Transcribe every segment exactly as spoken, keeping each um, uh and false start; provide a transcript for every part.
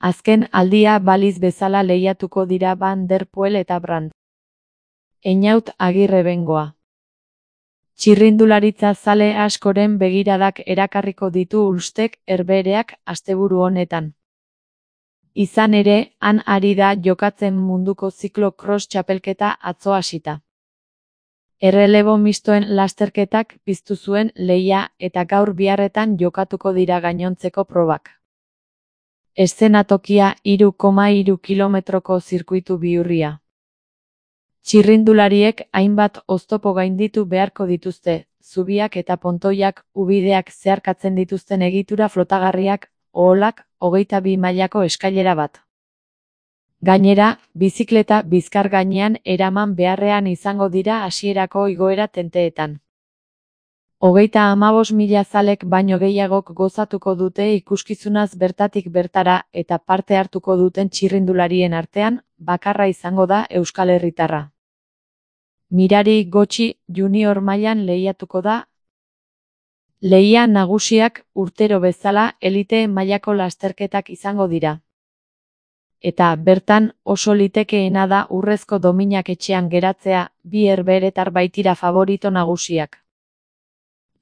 Azken aldia baliz bezala lehiatuko dira Van der Poel eta Brandt. Einaut Agirre Bengoa. Txirrindularitza zale askoren begiradak erakarriko ditu Ulstek Herbehereak asteburu honetan. Izan ere, han ari da jokatzen munduko ziklo-cross txapelketa atzo hasita. Errelebo mistoen lasterketak piztu zuen lehia eta gaur biharretan jokatuko dira gainontzeko probak. Eszenatokia hiru koma hiru kilometroko zirkuitu bihurria. Txirrindulariek hainbat oztopo gainditu beharko dituzte, zubiak eta pontoiak, ubideak zeharkatzen dituzten egitura flotagarriak, oholak, hogeita bi mailako eskailera bat. Gainera, bizikleta bizkar gainean eraman beharrean izango dira hasierako igoera tenteetan. Hogeita hamabost mila zalek baino gehiagok gozatuko dute ikuskizunaz bertatik bertara eta parte hartuko duten txirrindularien artean, bakarra izango da Euskal Herritarra. Mirari Gotxi junior mailan lehiatuko da. Lehia nagusiak urtero bezala elite mailako lasterketak izango dira. Eta bertan oso litekeena da urrezko dominak etxean geratzea, bi herbeheretar baitira favorito nagusiak.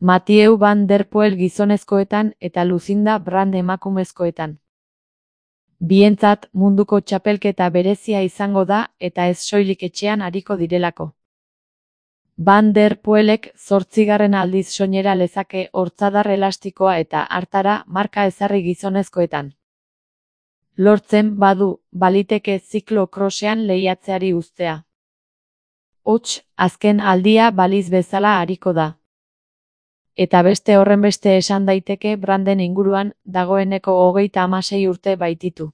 Mathieu Van der Poel gizonezkoetan eta Lucinda Brandt emakumezkoetan. Bientzat munduko txapelketa berezia izango da eta ez soilik etxean ariko direlako. Van der Poelek zortzigarren aldiz soinera lezake hortzadar elastikoa eta hartara marka ezarri gizonezkoetan. Lortzen badu, baliteke ziklo-crossean lehiatzeari uztea. Hots, azken aldia baliz bezala ariko da. Eta beste horrenbeste esan daiteke Branden inguruan dagoeneko hogeita hamasei urte baititu.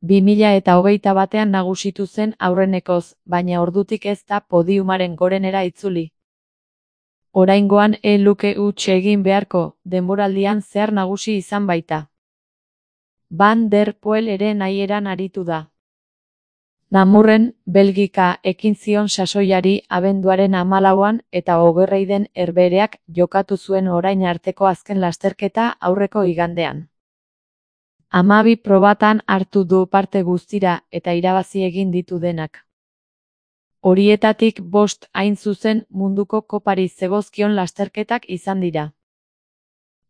bi mila eta hogeita batean nagusitu zen aurrenekoz, baina ordutik ez da podiumaren gorenera itzuli. Oraingoan e luke huts egin beharko, denboraldian zehar nagusi izan baita. Van der Poel ere nahieran aritu da. Namurren, Belgika ekin zion sasoiari abenduaren hamalauan eta Ogerreiden Herbehereak jokatu zuen orain arteko azken lasterketa aurreko igandean. Hamabi probatan hartu du parte guztira eta irabazi egin ditu denak. Horietatik bost hain zuzen munduko kopari zegozkion lasterketak izan dira.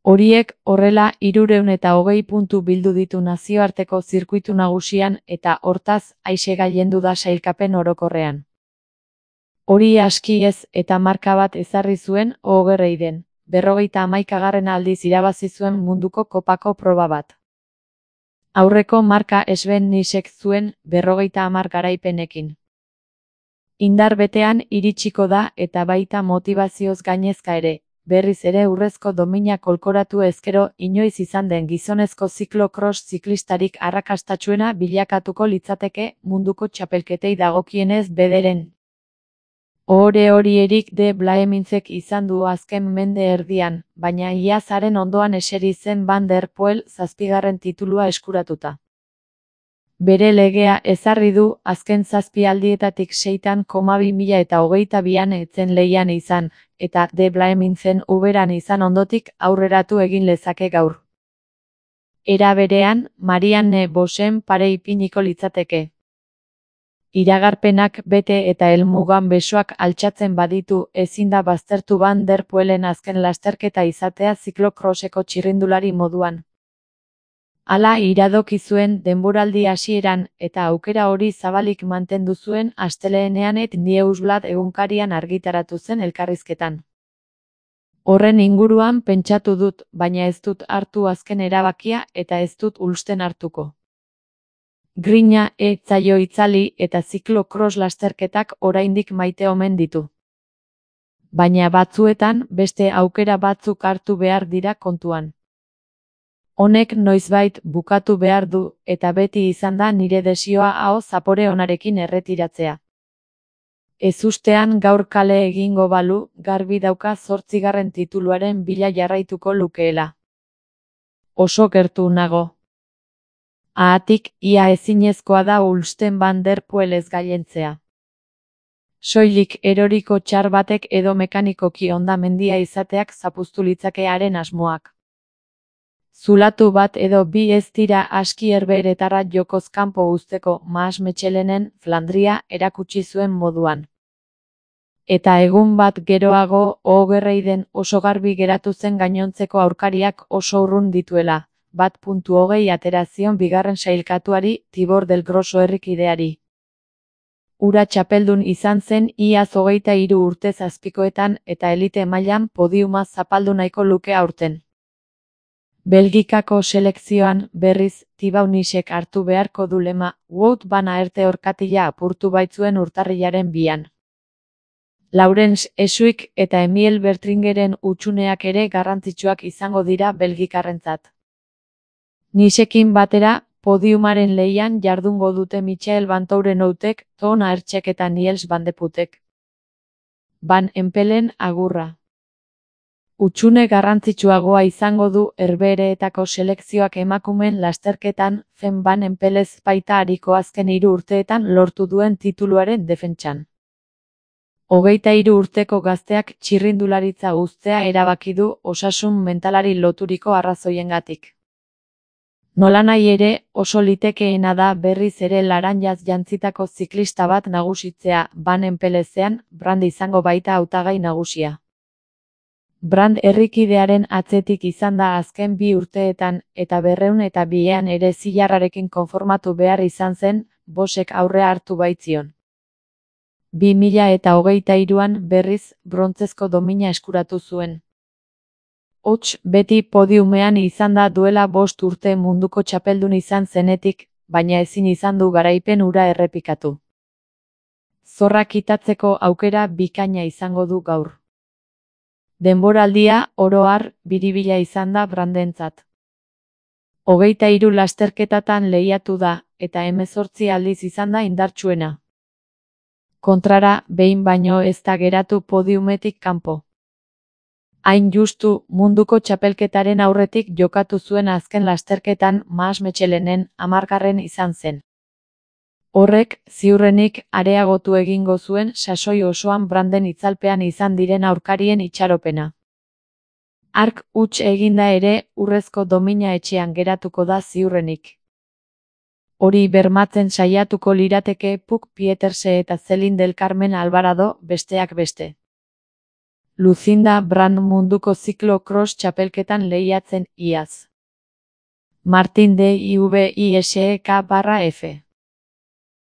Horiek horrela hirurehun eta hogei puntu bildu ditu nazioarteko zirkuitu nagusian eta hortaz aise gailendu da sailkapen orokorrean. Hori aski ez eta marka bat ezarri zuen Ogerreiden, berrogeita hamaikagarren aldiz irabazi zuen munduko kopako proba bat. Aurreko marka Sven Nysek zuen berrogeita hamar garaipenekin. Indar betean iritsiko da eta baita motivazioz gainezka ere. Berriz ere urrezko domina kolkoratu ezkero inoiz izan den gizonezko ziklo-cross ziklistarik arrakastatsuena bilakatuko litzateke munduko txapelketei dagokienez bederen. Ohore hori Erik de Blaemintzek izan du azken mende erdian, baina iazaren ondoan eseri zen Van der Poel zazpigarren titulua eskuratuta. Bere legea ezarri du azken zazpi aldietatik seitan koma bi mila eta hogeita bian etzen lehian izan, eta de Blaemintzen uberan izan ondotik aurreratu egin lezake gaur. Era berean, Marianne Vosen pare ipiniko litzateke. Iragarpenak bete eta helmugan besoak altxatzen baditu ezin da baztertu Van der Poelen azken lasterketa izatea ziklo-crosseko txirrindulari moduan. Hala iradoki zuen denboraldi hasieran eta aukera hori zabalik mantendu zuen astelehenean Et Newsblad egunkarian argitaratu zen elkarrizketan. Horren inguruan pentsatu dut, baina ez dut hartu azken erabakia eta ez dut Ulsten hartuko. Grina ez zaio itzali eta ziklo-cross lasterketak oraindik maite omen ditu. Baina batzuetan beste aukera batzuk hartu behar dira kontuan. Honek noizbait bukatu behar du eta beti izan da nire desioa aho zapore onarekin erretiratzea. Ezustean gaur kale egingo balu, garbi dauka zortzigarren tituluaren bila jarraituko lukeela. Oso gertu nago. Haatik, ia ezinezkoa da Ulsten Van der Poel ez gailentzea. Soilik eroriko txar batek edo mekanikoki hondamendia izateak zapuztu litzakearen asmoak. Zulatu bat edo bi ez dira aski herbeheretara jokoz kanpo uzteko Maas Michelenen Flandria erakutsi zuen moduan. Eta egun bat geroago, Ogerreiden oso garbi geratu zen gainontzeko aurkariak oso urrun dituela, bat puntu hogei atera zion bigarren sailkatuari Tibor del Grosso herrikideari. Ura txapeldun izan zen iaz hogeita hiru urtez azpikoetan eta elite mailan podiuma zapaldu nahiko luke aurten. Belgikako selekzioan, berriz, Tibaunisek hartu beharko du lema, Wout van Aerte orkatila apurtu baitzuen urtarrilaren bian. Laurens Esuik eta Emil Bertringeren hutsuneak ere garrantzitsuak izango dira belgikarrentzat. Nisekin batera, podiumaren lehian jardungo dute Michael Vantourenhoutek, Ton Aertsek eta Niels Van de Putek. Van Empelen agurra. Hutsune garrantzitsuagoa izango du Herbehereetako selekzioak emakumeen lasterketan, Fen Van Empelez baita ariko azken hiru urteetan lortu duen tituluaren defentsan. Hogeita hiru urteko gazteak txirrindularitza uztea erabaki du osasun mentalari loturiko arrazoiengatik. Nolanahi ere, oso litekeena da berriz ere laranjaz jantzitako ziklista bat nagusitzea, Van Empelezean, Brand izango baita hautagai nagusia. Brand herrikidearen atzetik izan da azken bi urteetan, eta berrehun eta bian ere zilarrarekin konformatu behar izan zen, Bosek aurrea hartu baitzion. Bi mila eta hogeita hiruan berriz, brontzezko domina eskuratu zuen. Hots, beti podiumean izan da duela bost urte munduko txapeldun izan zenetik, baina ezin izan du garaipen hura errepikatu. Zorra kitatzeko aukera bikaina izango du gaur. Denboraldia, oro har, biribila izan da Brandentzat. Hogeita hiru lasterketatan lehiatu da, eta hemezortzi aldiz izan da indartsuena. Kontrara, behin baino ez da geratu podiumetik kanpo. Hain justu, munduko txapelketaren aurretik jokatu zuen azken lasterketan Maas Michelenen hamargarren izan zen. Horrek, ziurrenik, areagotu egingo zuen sasoi osoan Branden itzalpean izan diren aurkarien itxaropena. Hark huts eginda ere, urrezko domina etxean geratuko da ziurrenik. Hori bermatzen saiatuko lirateke Puk Pieterse eta Celine del Carmen Alvarado, besteak beste. Lucinda Brand munduko ziklo cross txapelketan lehiatzen iaz. Martin de I V I S E K barra F.